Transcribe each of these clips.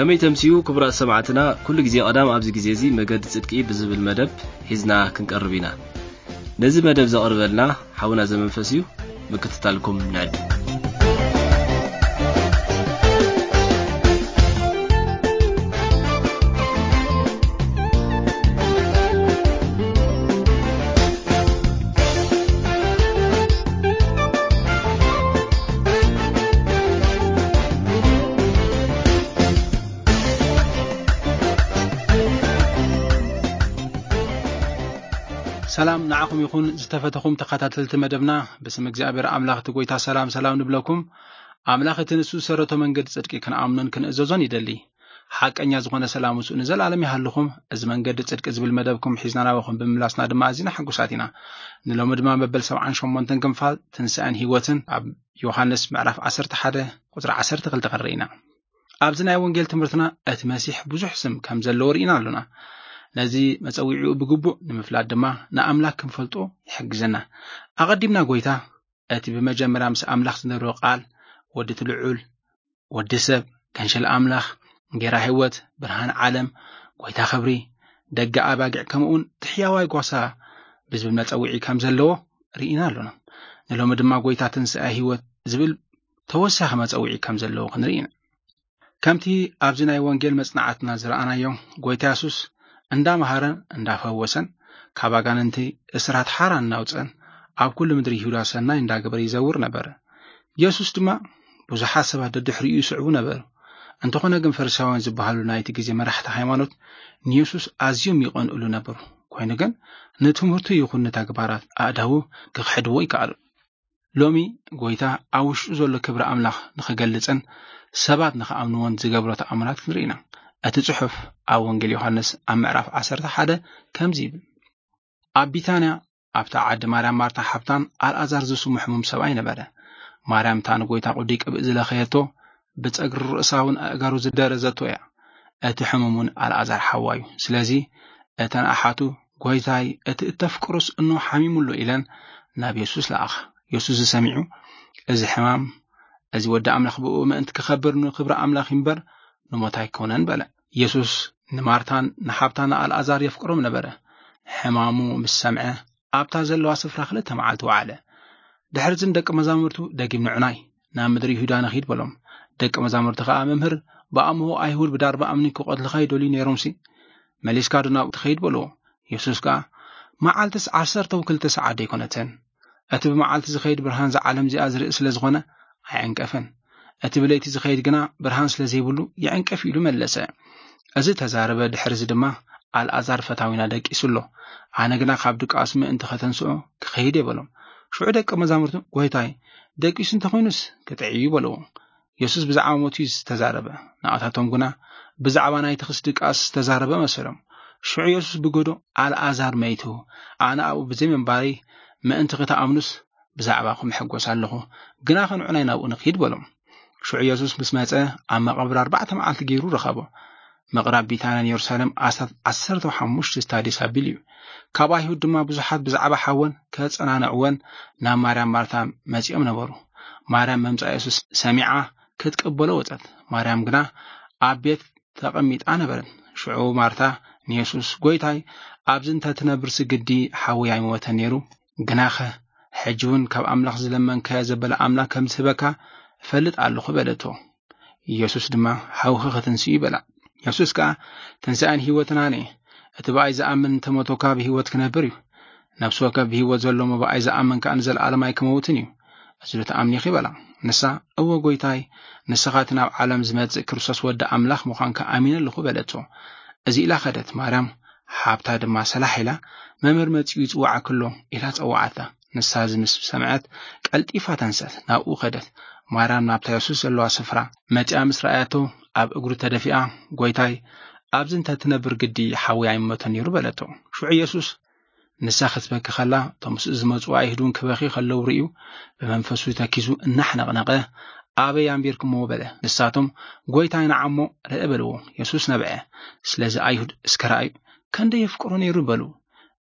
ከመይ ተምስዩ ክቡራት ሰማዕትና፣ ኩሉ ግዜ ቀዳም ኣብዚ ግዜ እዚ መገዲ ጽድቂ ብዝብል መደብ ሒዝና ክንቀርብ ኢና። ነዚ መደብ ዘቕርበልና ሓውና ዘመንፈስ እዩ። ምክትታልኩም ንዕድ። ሰላም ንዓኹም ይኹን ዝተፈተኹም ተኸታተልቲ መደብና። ብስም እግዚኣብሔር ኣምላኽ እቲ ጎይታ ሰላም ሰላም ንብለኩም። ኣምላኽ እቲ ንሱ ዝሰረቶ መንገዲ ጽድቂ ክንኣምኖን ክንእዘዞን ይደሊ። ሓቀኛ ዝኾነ ሰላም ምስኡ ንዘለኣለም ይሃልኹም። እዚ መንገዲ ጽድቂ ዝብል መደብኩም ሒዝና ናባኹም ብምምላስና ድማ ኣዚና ሕጉሳት ኢና። ንሎሚ ድማ መበል ሰብዓን ሸሞንተን ክፋል ትንሳኤን ህይወትን ኣብ ዮሃንስ ምዕራፍ ዓሰርተ ሓደ ቁጽሪ ዓሰርተ ክልተ ክንርኢ ኢና። ኣብዚ ናይ ወንጌል ትምህርትና እቲ መሲሕ ብዙሕ ስም ከም ዘለዎ ርኢና ኣሎና። ነዚ መጸዊዒኡ ብግቡእ ንምፍላጥ ድማ ንኣምላኽ ክንፈልጦ ይሕግዘና። ኣቐዲምና ጎይታ እቲ ብመጀመርያ ምስ ኣምላኽ ዝነበረ ቃል፣ ወዲ እቲ ልዑል፣ ወዲ ሰብ፣ ገንሸል ኣምላኽ፣ ጌራ ህይወት፣ ብርሃን ዓለም፣ ጎይታ ክብሪ፣ ደገ ኣባጊዕ፣ ከምኡውን እቲ ሕያዋይ ጓሳ ብዝብል መጸውዒ ከም ዘለዎ ርኢና ኣሎና። ንሎሚ ድማ ጎይታ ትንሳኤ ህይወት ዝብል ተወሳኺ መጸውዒ ከም ዘለዎ ክንርኢ ኢና። ከምቲ ኣብዚ ናይ ወንጌል መጽናዕትና ዝረኣናዮ፣ ጎይታ የሱስ እንዳመሃረን እንዳፈወሰን፣ ካብ ኣጋንንቲ እስራት ሓራ እናውፀን፣ ኣብ ኩሉ ምድሪ ይሁዳ ሰናይ እንዳገበረ ይዘውር ነበረ። የሱስ ድማ ብዙሓት ሰባት ደድሕሪኡ ይስዕቡ ነበሩ። እንተኾነ ግን ፈሪሳውያን ዝበሃሉ ናይቲ ግዜ መራሕቲ ሃይማኖት ንየሱስ ኣዝዮም ይቐንእሉ ነበሩ። ኮይኑ ግን ንትምህርቱ ይኹን ንተግባራት ኣእዳዉ ክኽሕድዎ ይከኣሉ። ሎሚ ጎይታ ኣብ ውሽጡ ዘሎ ክብሪ ኣምላኽ ንኽገልጽን ሰባት ንኽኣምንዎን ዝገብሮ ተኣምራት ክንርኢ ኢና። እቲ ጽሑፍ ኣብ ወንጌል ዮሃንስ ኣብ ምዕራፍ ዓሰርተ ሓደ ከምዚ ይብል። ኣብ ቢታንያ ኣብታ ዓዲ ማርያም ማርታ ሓብታን ኣልኣዛር ዝስሙ ሕሙም ሰብኣይ ነበረ። ማርያም እታ ንጎይታ ቅዱይ ቅብእ ዝለኸየቶ ብጸግሪ ርእሳ እውን ኣእጋሩ ዝደረዘቶ እያ። እቲ ሕሙም እውን ኣልኣዛር ሓዋ እዩ። ስለዚ እተን ኣሓቱ ጎይታይ እቲ እተፍቅሮስ እኖ ሓሚሙ ኣሎ ኢለን ናብ የሱስ ለኣኻ። የሱስ ዝሰሚዑ እዚ ሕማም እዚ ወዲ ኣምላኽ ብኡ ምእንቲ ክኸብር ንክብሪ ኣምላኽ እምበር ንሞት ኣይኮነን በለ። የሱስ ንማርታን ንሓብታን ኣልኣዛር የፍቅሮም ነበረ። ሕማሙ ምስ ሰምዐ ኣብታ ዘለዋ ስፍራ ክልተ መዓልቲ ወዓለ። ድሕርዝን ደቂ መዛሙርቱ ደጊም ንዑናይ ናብ ምድሪ ይሁዳ ንኺድ በሎም። ደቂ መዛሙርቲ ከኣ መምህር ብኣምሆ ኣይሁድ ብዳርባ እምኒ ክቐትልኻ ይደልዩ ነይሮምሲ፣ መሊስካ ዶ ናብኡ ትኸይድ በልዎ። የሱስ ከኣ መዓልትስ ዓሰርተው ክልተ ሰዓት ደይኮነትን? እቲ ብመዓልቲ ዝኸይድ ብርሃን እዛ ዓለም እዚኣ ዝርኢ ስለ ዝኾነ ኣይዕንቀፍን። እቲ ብለይቲ ዝኸይድ ግና ብርሃን ስለ ዘይብሉ ይዕንቀፍ ኢሉ መለሰ። እዚ ተዛረበ። ድሕርዚ ድማ ኣልኣዛር ፈታዊና ደቂሱ ኣሎ። ኣነ ግና ካብ ድቃሱ ምእንቲ ከተንስኦ ክኸይድ እየ በሎም። ሽዑ ደቂ መዛሙርቱ ጎይታይ ደቂሱ እንተኾይኑስ ክጥዕይ እዩ በልዎ። የሱስ ብዛዕባ ሞቱ እዩ ዝተዛረበ። ንኣታቶም ግና ብዛዕባ ናይ ተኽስ ድቃስ ዝተዛረበ መሰሎም። ሽዑ የሱስ ብገዶ ኣልኣዛር መይቱ፣ ኣነ ኣብኡ ብዘይ ምንባረይ ምእንቲ ክትኣምኑስ ብዛዕባኹም ሕጎስ ኣለኹ፣ ግና ክንዑ ናይ ናብኡ ንኺድ በሎም። ሽዑ የሱስ ምስ መጸ ኣብ መቓብር ኣርባዕተ መዓልቲ ገይሩ ረኸቦ። ምቕራብ ቢታንያን የሩሳሌም ኣስታት ዓሰርተ ሓሙሽተ ስታድዮስ ኣቢሉ እዩ። ካብ ኣይሁድ ድማ ብዙሓት ብዛዕባ ሓወን ከጸናንዕወን ናብ ማርያም ማርታ መጺኦም ነበሩ። ማርያም መምጻእ የሱስ ሰሚዓ ክትቅበሎ ወጸት። ማርያም ግና ኣብ ቤት ተቐሚጣ ነበረት። ሽዑ ማርታ ንየሱስ ጎይታይ፣ ኣብዚ እንተ ትነብር ስግዲ ሓወይ ኣይመወተን ነይሩ። ግናኸ ሕጂ እውን ካብ ኣምላኽ ዝለመንካዮ ዘበለ ኣምላኽ ከም ዝህበካ እፈልጥ ኣለኹ በለቶ። ኢየሱስ ድማ ሓውኺ ክትንስእ እዩ በላ። የሱስ ከኣ ትንሳኤን ህይወትን ኣነ እቲ ብኣይ ዝኣምን እንተሞተኳ ብህይወት ክነብር እዩ። ነፍሲ ወከፍ ብህይወት ዘሎ እሞ ብኣይ ዝኣምን ከኣ ንዘለኣለም ኣይክመውትን እዩ። እዚ ዶ ትኣምኒ ኢኺ በላ። ንሳ እወ ጎይታይ፣ ንስኻ እቲ ናብ ዓለም ዝመጽእ ክርስቶስ ወዲ ኣምላኽ ምዃንካ ኣሚነ ኣለኹ በለቶ። እዚ ኢላ ኸደት። ማርያም ሓብታ ድማ ሰላሕ ኢላ መምህር መጺኡ ይጽውዓኪ ኣሎ ኢላ ጸውዓታ። ንሳ እዚ ምስ ሰምዐት ቀልጢፋ ተንሰት ናብኡ ኸደት። ማርያም ናብታ የሱስ ዘለዋ ስፍራ መጺኣ ምስ ረኣያቶ ኣብ እግሩ ተደፊኣ፣ ጎይታይ፣ ኣብዚ እንተ ትነብር ግዲ ሓወይ ኣይመተን ነይሩ በለቶ። ሽዑ የሱስ ንሳ ክትበኪ ከላ እቶም ምስኡ ዝመጹ ኣይሁድ እውን ክበኺ ከለዉ ርእዩ ብመንፈሱ ተኪዙ እናሕነቕነቐ ኣበይ ኣንቢርኩምዎ በለ። ንሳቶም ጎይታይ ንዓሞ ርእ በልዎ። የሱስ ነብዐ። ስለዚ ኣይሁድ እስከ ረኣዩ ከንደይ የፍቅሮ ነይሩ በሉ።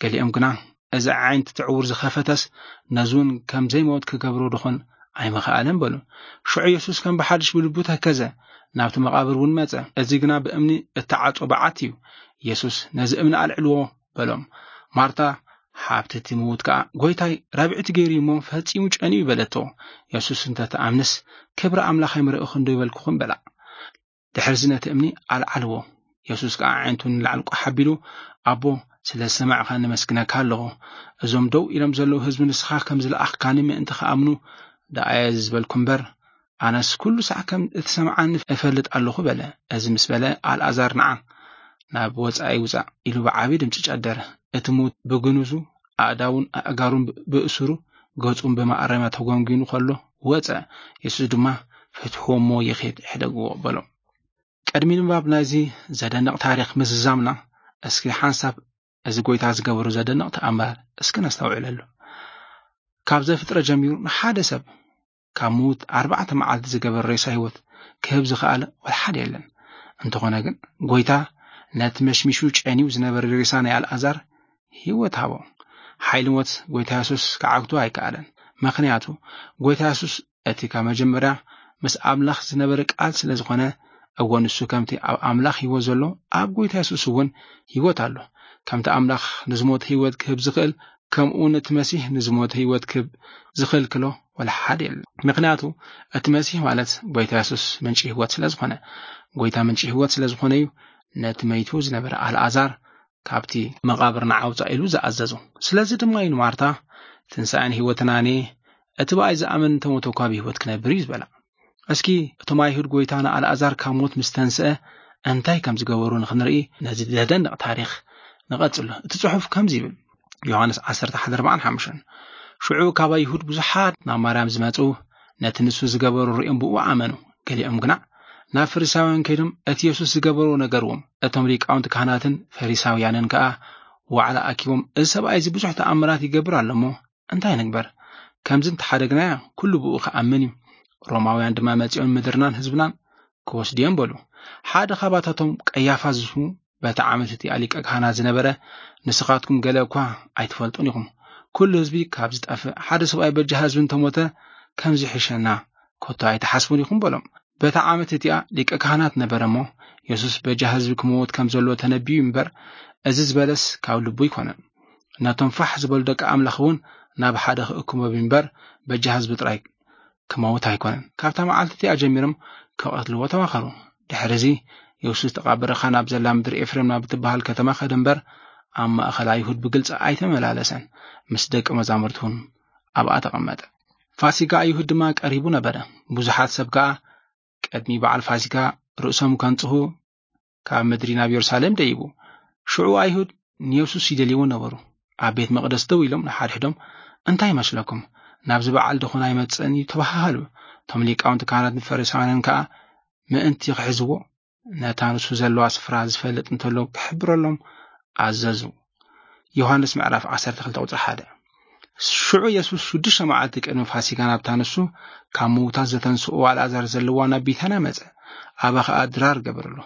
ገሊኦም ግና እዚ ዓይንቲ ትዕውር ዝኸፈተስ ነዚ እውን ከም ዘይመወት ክገብሮ ድኾን ኣይምኸኣለን በሉ። ሽዑ የሱስ ከም ብሓድሽ ብልቡ ተከዘ። ናብቲ መቓብር እውን መጸ። እዚ ግና ብእምኒ እተዓጾ በዓት እዩ። የሱስ፣ "ነዚ እምኒ ኣልዕልዎ" በሎም። ማርታ፣ ሓብቲ እቲ ምዉት ከኣ፣ "ጐይታይ፣ ራብዕቲ ገይሩ እሞ ፈጺሙ ጨንዩ" በለቶ። የሱስ፣ "እንተ ትኣምንስ፣ ክብሪ ኣምላኽ ኣይምረእኹን ዶ ይበልኩኹም?" በላ። ድሕርዚ ነቲ እምኒ ኣልዓልዎ። የሱስ ከኣ ኣዒንቱ ንላዕሊ ቋሕ ኣቢሉ፣ "ኣቦ፣ ስለ ዝሰማዕካኒ ኣመስግነካ ኣለኹ። እዞም ደው ኢሎም ዘለዉ ህዝቢ ንስኻ ከም ዝለኣኽካኒ ምእንቲ ክኣምኑ ደኣ እየ እዚ ዝበልኩ እምበር፣ ኣነስ ኩሉ ሳዕ ከም እትሰምዓኒ እፈልጥ ኣለኹ" በለ። እዚ ምስ በለ፣ "ኣልኣዛር ንዓ፣ ናብ ወጻኢ ውጻእ" ኢሉ ብዓቢ ድምጺ ጨደረ። እቲ ምዉት ብግንዙ፣ ኣእዳዉን ኣእጋሩን ብእሱሩ፣ ገጹን ብመኣረምያ ተጎንጒኑ ከሎ ወጸ። የሱስ ድማ፣ "ፍትሕዎ እሞ ይኺድ፣ ሕደግዎ" በሎ። ቅድሚ ንባብ ናይዚ ዘደንቕ ታሪኽ ምዝዛምና፣ እስኪ ሓንሳብ እዚ ጐይታ ዝገበሮ ዘደንቕ ተኣምር እስኪ ነስተውዕለሉ። ካብ ዘፍጥረት ጀሚሩ ንሓደ ሰብ ካብ ምዉት ኣርባዕተ መዓልቲ ዝገበር ሬሳ ህይወት ክህብ ዝኸኣለ ወላ ሓደ የለን። እንተኾነ ግን፣ ጐይታ ነቲ መሽሚሹ ጨንዩ ዝነበረ ሬሳ ናይ ኣልኣዛር ህይወት ሃቦ። ሓይሊ ሞት ጐይታ የሱስ ክዓግቶ ኣይከኣለን። ምኽንያቱ፣ ጐይታ የሱስ እቲ ካብ መጀመርያ ምስ ኣምላኽ ዝነበረ ቃል ስለ ዝኾነ፣ እወ፣ ንሱ ከምቲ ኣብ ኣምላኽ ህይወት ዘሎ፣ ኣብ ጐይታ የሱስ እውን ህይወት ኣሎ። ከምቲ ኣምላኽ ንዝሞተ ህይወት ክህብ ዝኽእል፣ ከምኡ እውን እቲ መሲህ ንዝሞተ ህይወት ክህብ ዝኽልክሎ ወላ ሓደ የለን። ምኽንያቱ፣ እቲ መሲህ ማለት ጐይታ የሱስ ምንጪ ህይወት ስለ ዝኾነ፣ ጐይታ ምንጪ ህይወት ስለ ዝኾነ እዩ ነቲ መይቱ ዝነበረ ኣልኣዛር ካብቲ መቓብር ንዓ ውጻእ ኢሉ ዝኣዘዞ። ስለዚ ድማ እዩ ንማርታ፣ "ትንሳኤን ህይወትን ኣነ፣ እቲ ብኣይ ዝኣምን እንተ ሞተ እኳ ብህይወት ክነብር እዩ" ዝበላ። እስኪ እቶም ኣይሁድ ጐይታ ንኣልኣዛር ካብ ሞት ምስ ተንስአ እንታይ ከም ዝገበሩ ንኽንርኢ ነዚ ዘደንቕ ታሪኽ ንቐጽሎ። እቲ ጽሑፍ ከምዚ ይብል፣ ዮሃንስ ዓሰርተ ሓደ ኣርባዓን ሓሙሽተን፣ ሽዑ ካብ ኣይሁድ ብዙሓት ናብ ማርያም ዝመጹ፣ ነቲ ንሱ ዝገበሩ ርእዮም ብኡ ኣመኑ። ገሊኦም ግና ናብ ፈሪሳውያን ከይዶም እቲ የሱስ ዝገበሮ ነገርዎም። እቶም ሊቃውንቲ ካህናትን ፈሪሳውያንን ከኣ ዋዕላ ኣኪቦም፣ "እዚ ሰብኣይ እዚ ብዙሕ ተኣምራት ይገብር ኣሎ እሞ እንታይ ንግበር? ከምዚ እንተሓደግናዮ ኩሉ ብኡ ክኣምን እዩ። ሮማውያን ድማ መጺኦም ምድርናን ህዝብናን ክወስዱ እዮም" በሉ። ሓደ ካብኣታቶም ቀያፋ ዝስሙ በቲ ዓመት እቲኣ ሊቀ ካህናት ዝነበረ፣ "ንስኻትኩም ገለ እኳ ኣይትፈልጡን ኢኹም። ኩሉ ህዝቢ ካብ ዝጠፍእ፣ ሓደ ሰብኣይ በጃ ህዝቢ እንተሞተ ከምዚ ይሕሸና ከቶ ኣይትሓስቡን ኢኹም" በሎም። በታ ዓመት እቲኣ ሊቀ ካህናት ነበረ እሞ፣ የሱስ በጃ ህዝቢ ክመውት ከም ዘለዎ ተነቢዩ እምበር፣ እዚ ዝበለስ ካብ ልቡ ኣይኮነን። ነቶም ፋሕ ዝበሉ ደቂ ኣምላኽ እውን ናብ ሓደ ክእክቦም እምበር፣ በጃ ህዝቢ ጥራይ ክመውት ኣይኮነን። ካብታ መዓልቲ እቲኣ ጀሚሮም ክቐትልዎ ተማኸሩ። ድሕሪ እዚ፣ የሱስ ተቓበረኻ ናብ ዘላ ምድሪ ኤፍሬም ናብ እትበሃል ከተማ ከደ እምበር፣ ኣብ ማእከል ኣይሁድ ብግልጺ ኣይተመላለሰን። ምስ ደቂ መዛሙርቱ እውን ኣብኣ ተቐመጠ። ፋሲጋ ኣይሁድ ድማ ቀሪቡ ነበረ። ብዙሓት ሰብ ከኣ ቅድሚ በዓል ፋሲጋ ርእሶም ከንጽሁ ካብ ምድሪ ናብ የሩሳሌም ደይቡ። ሽዑ ኣይሁድ ንየሱስ ይደልይዎ ነበሩ። ኣብ ቤት መቕደስ ደው ኢሎም ንሓድሕዶም፣ "እንታይ ይመስለኩም? ናብዚ በዓል ደኾን ኣይመጽእን እዩ?" ተባሃሃሉ። እቶም ሊቃውንቲ ካህናትን ፈሪሳውያንን ከኣ ምእንቲ ክሕዝዎ፣ ነታ ንሱ ዘለዋ ስፍራ ዝፈልጥ እንተሎ ክሕብረሎም ኣዘዙ። ዮሃንስ ምዕራፍ ዓሰርተ ክልተ ቁጽሪ ሓደ። ሽዑ የሱስ ሽዱሽተ መዓልቲ ቅድሚ ፋሲጋ ናብታ ንሱ ካብ ምዉታት ዘተንስኦ ኣልኣዛር ዘለዋ ናብ ቢታንያ መጸ። ኣብኣ ኸኣ ድራር ገበረሉ።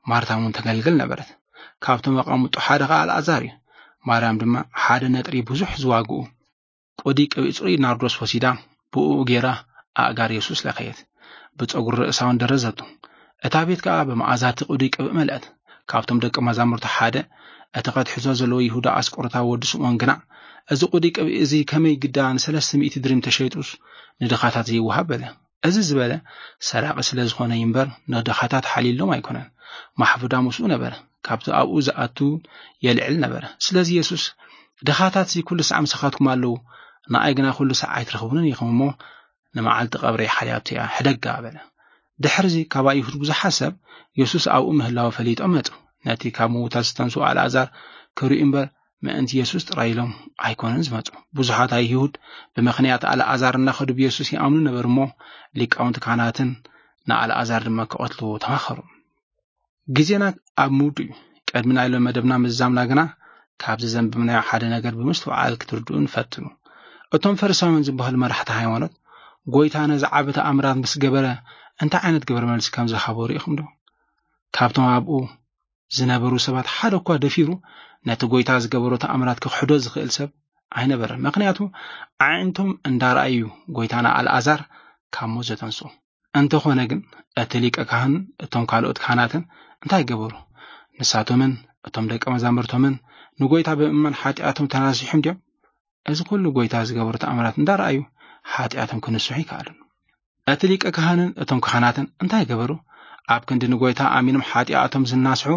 ማርታ እውን ተገልግል ነበረት። ካብቶም ኣቐምጦ ሓደ ኸኣ ኣልኣዛር እዩ። ማርያም ድማ ሓደ ነጥሪ ብዙሕ ዝዋግኡ ቁዲ ቅብኢ ጽሩይ ናርዶስ ወሲዳ፣ ብእኡ ገይራ ኣእጋር የሱስ ለኸየት። ብጸጉሪ ርእሳ እውን ደረዘቶ። እታ ቤት ከኣ ብመኣዛ እቲ ቁዲ ቅብኢ መልአት። ካብቶም ደቂ መዛሙርቱ ሓደ፣ እቲ ከትሕዞ ዘለዎ ይሁዳ ኣስቆሮታዊ ወዲ ስምዖን ግና፣ "እዚ ቁዲ ቅብኢ እዚ ከመይ ግዳ ንሰለስተ ሚእቲ ድሪም ተሸይጡስ ንድኻታት ዘይወሃብ?" በለ። እዚ ዝበለ፣ ሰራቒ ስለ ዝኾነ እዩ እምበር፣ ንድኻታት ሓልዩሎም ኣይኮነን። ማሕፉዳ ምስኡ ነበረ፣ ካብቲ ኣብኡ ዝኣቱ የልዕል ነበረ። ስለዚ የሱስ፣ "ድኻታትሲ ኩሉ ሳዕ ምሳኻትኩም ኣለዉ፣ ንኣይ ግና ኩሉ ሳዕ ኣይትረኽቡንን ኢኹም እሞ፣ ንመዓልቲ ቀብረይ ሓልያቶ እያ፣ ሕደጋ" በለ። ድሕርዚ ካብ ኣይሁድ ብዙሓት ሰብ የሱስ ኣብኡ ምህላዉ ፈሊጦም መጹ። ነቲ ካብ ምዉታት ዝተንስኡ ኣልኣዛር ክርእዩ እምበር፣ ምእንቲ የሱስ ጥራይ ኢሎም ኣይኮኑን ዝመጹ። ብዙሓት ኣይሁድ ብምኽንያት ኣልኣዛር እናኸዱ ብየሱስ ይኣምኑ ነበሩ እሞ፣ ሊቃውንቲ ካህናትን ንኣልኣዛር ድማ ክቐትልዎ ተማኸሩ። ግዜና ኣብ ምውዱ እዩ። ቅድሚ ናይ ሎም መደብና ምዝዛምና ግና፣ ካብዚ ዘንበብናዮ ሓደ ነገር ብምስትውዓል ክትርድኡን ፈትኑ። እቶም ፈሪሳውያን ዝበሃሉ መራሕቲ ሃይማኖት፣ ጎይታ ነዚ ዓቢ ተኣምራት ምስ ገበረ፣ እንታይ ዓይነት ግብረ መልሲ ከም ዝሃቦ ርኢኹም ዶ? ካብቶም ኣብኡ ዝነበሩ ሰባት ሓደ እኳ ደፊሩ ነቲ ጎይታ ዝገበሮ ተኣምራት ክኽሕዶ ዝኽእል ሰብ ኣይነበረን። ምኽንያቱ፣ ኣዒንቶም እንዳረኣዩ እዩ ጎይታ ንኣልኣዛር ካብ ሞት ዘተንስኦ። እንተኾነ ግን፣ እቲ ሊቀ ካህን እቶም ካልኦት ካህናትን እንታይ ገበሩ? ንሳቶምን እቶም ደቀ መዛሙርቶምን ንጎይታ ብምእማን ሓጢኣቶም ተናሲሖም ድዮም? እዚ ኩሉ ጎይታ ዝገበሩ ተኣምራት እንዳረኣዩ ሓጢኣቶም ክንስሑ ይከኣሉን። እቲ ሊቀ ካህንን እቶም ካህናትን እንታይ ገበሩ? ኣብ ክንዲ ንጎይታ ኣሚኖም ሓጢኣቶም ዝናስሑ፣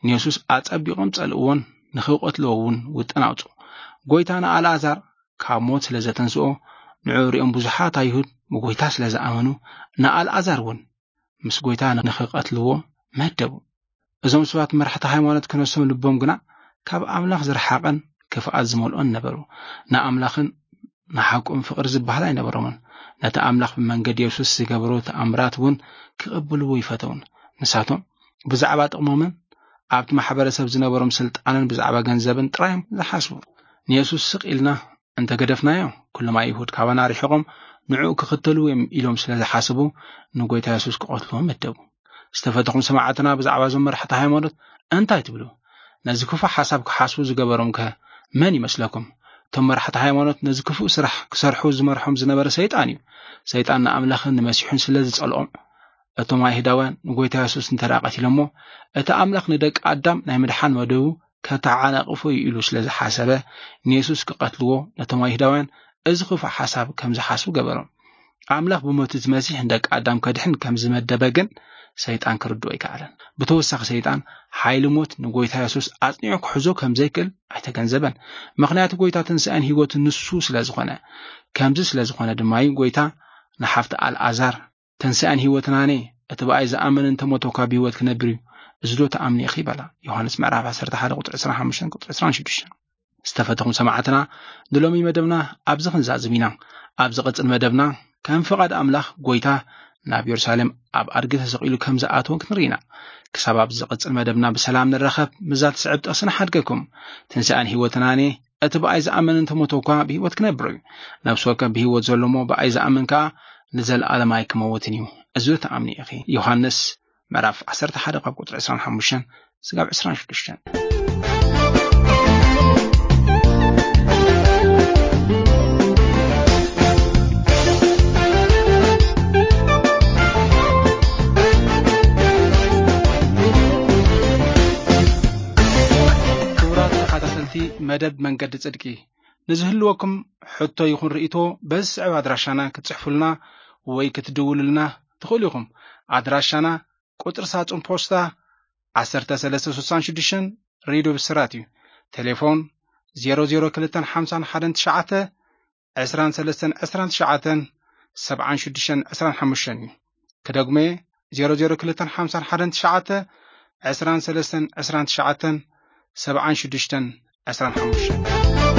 ንየሱስ ኣጸቢቖም ጸልእዎን ንኽቐትልዎ እውን ውጥን ኣውጽኡ። ጎይታ ንኣልኣዛር ካብ ሞት ስለ ዘተንስኦ፣ ንዕኡ ሪኦም ብዙሓት ኣይሁድ ብጎይታ ስለ ዝኣመኑ፣ ንኣልኣዛር እውን ምስ ጎይታ ንኽቐትልዎ መደቡ። እዞም ሰባት መራሕቲ ሃይማኖት ክነሶም ልቦም ግና ካብ ኣምላኽ ዝረሓቐን ክፍኣት ዝመልኦን ነበሩ። ንኣምላኽን ንሓቁን ፍቕሪ ዝበሃል ኣይነበሮምን። ነቲ ኣምላኽ ብመንገዲ የሱስ ዝገበሮ ተኣምራት እውን ክቕብልዎ ይፈተውን። ንሳቶም ብዛዕባ ጥቕሞምን ኣብቲ ማሕበረሰብ ዝነበሮም ስልጣንን ብዛዕባ ገንዘብን ጥራዮም ዝሓስቡ። ንየሱስ ስቕ ኢልና እንተ ገደፍናዮ፣ ኩሎም ኣይሁድ ካባና ርሒቖም ንዕኡ ክኽተልዎ እዮም ኢሎም ስለ ዝሓስቡ፣ ንጎይታ የሱስ ክቐትልዎ መደቡ። ዝተፈተኹም ሰማዕትና፣ ብዛዕባ እዞም መራሕቲ ሃይማኖት እንታይ ትብሉ? ነዚ ክፉእ ሓሳብ ክሓስቡ ዝገበሮም ከ መን ይመስለኩም? እቶም መራሕቲ ሃይማኖት ነዚ ክፉእ ስራሕ ክሰርሑ ዝመርሖም ዝነበረ ሰይጣን እዩ። ሰይጣን ንኣምላኽን ንመሲሑን ስለ ዝጸልኦም፣ እቶም ኣይሁዳውያን ንጎይታ የሱስ እንተ ደኣ ቀቲሎሞ፣ እቲ ኣምላኽ ንደቂ ኣዳም ናይ ምድሓን መደቡ ከተዓናቕፎ እዩ ኢሉ ስለ ዝሓሰበ፣ ንየሱስ ክቐትልዎ ነቶም ኣይሁዳውያን እዚ ክፉእ ሓሳብ ከም ዝሓስቡ ገበሮም። ኣምላኽ ብሞት እቲ መሲሕ ንደቂ ኣዳም ከድሕን ከም ዝመደበ ግን ሰይጣን ክርድኦ ኣይከኣለን። ብተወሳኺ ሰይጣን ሓይሊ ሞት ንጎይታ የሱስ ኣጽኒዑ ክሕዞ ከም ዘይክእል ኣይተገንዘበን። ምኽንያቱ ጎይታ ትንሳኤን ህይወትን ንሱ ስለ ዝኾነ። ከምዚ ስለ ዝኾነ ድማ እዩ ጎይታ ንሓፍቲ ኣልኣዛር፣ "ትንሳኤን ህይወትን ኣነ፣ እቲ ብኣይ ዝኣምን እንተ ሞተ እኳ ብህይወት ክነብር እዩ። እዚ ዶ ትኣምኒ ኢኺ?" በላ። ዮሃንስ ምዕራፍ ዓሰርተ ሓደ ቁጽሪ ዕስራን ሓሙሽተን ቁጽሪ ዕስራን ሽዱሽተን። ዝተፈተኹም ሰማዕትና፣ ንሎሚ መደብና ኣብዚ ክንዛዝም ኢና። ኣብ ዝቕጽል መደብና ከም ፍቓድ ኣምላኽ ጎይታ ናብ የሩሳሌም ኣብ ኣድጊ ተሰቒሉ ከም ዝኣተወ ክንርኢ ኢና። ክሳብ ኣብ ዝቕጽል መደብና ብሰላም ንራኸብ፣ ምስዛ ትስዕብ ጥቕሲ ንሓድገኩም። ትንሳኤን ህይወትን ኣነ፣ እቲ ብኣይ ዝኣምን እንተ ሞተ እኳ ብህይወት ክነብር እዩ። ነፍሲ ወከፍ ብህይወት ዘሎ እሞ ብኣይ ዝኣምን ከኣ ንዘለኣለም ኣይክመውትን እዩ። እዚ ዶ ትኣምኒ ኢኺ? ዮሃንስ ምዕራፍ ዓሰርተ ሓደ ካብ ቁጽሪ ዕስራን ሓሙሽተን ስጋብ ዕስራን ሽዱሽተን። ክቡራት ተኸታተልቲ መደብ መንገዲ ጽድቂ፣ ንዝህልወኩም ሕቶ ይኹን ርእይቶ በዚ ዝስዕብ ኣድራሻና ክትጽሕፉልና ወይ ክትድውሉልና ትኽእሉ ኢኹም። ኣድራሻና ቁጽሪ ሳጹን ፖስታ ዓሰርተ ሰለስተ ስሳን ሽዱሽተን፣ ሬድዮ ብስራት እዩ። ቴሌፎን ዜሮ ዜሮ ክልተን ሓምሳን ሓደን ትሽዓተ፣ ዕስራን ሰለስተን ዕስራን ትሽዓተን፣ ሰብዓን ሽዱሽተን ዕስራን ሓሙሽተን እዩ። ክደግሞ እየ፣ ዜሮ ዜሮ ክልተን ሓምሳን ሓደን ትሽዓተ፣ ዕስራን ሰለስተን ዕስራን ትሽዓተን፣ ሰብዓን ሽዱሽተን ዕስራን ሓሙሽተን።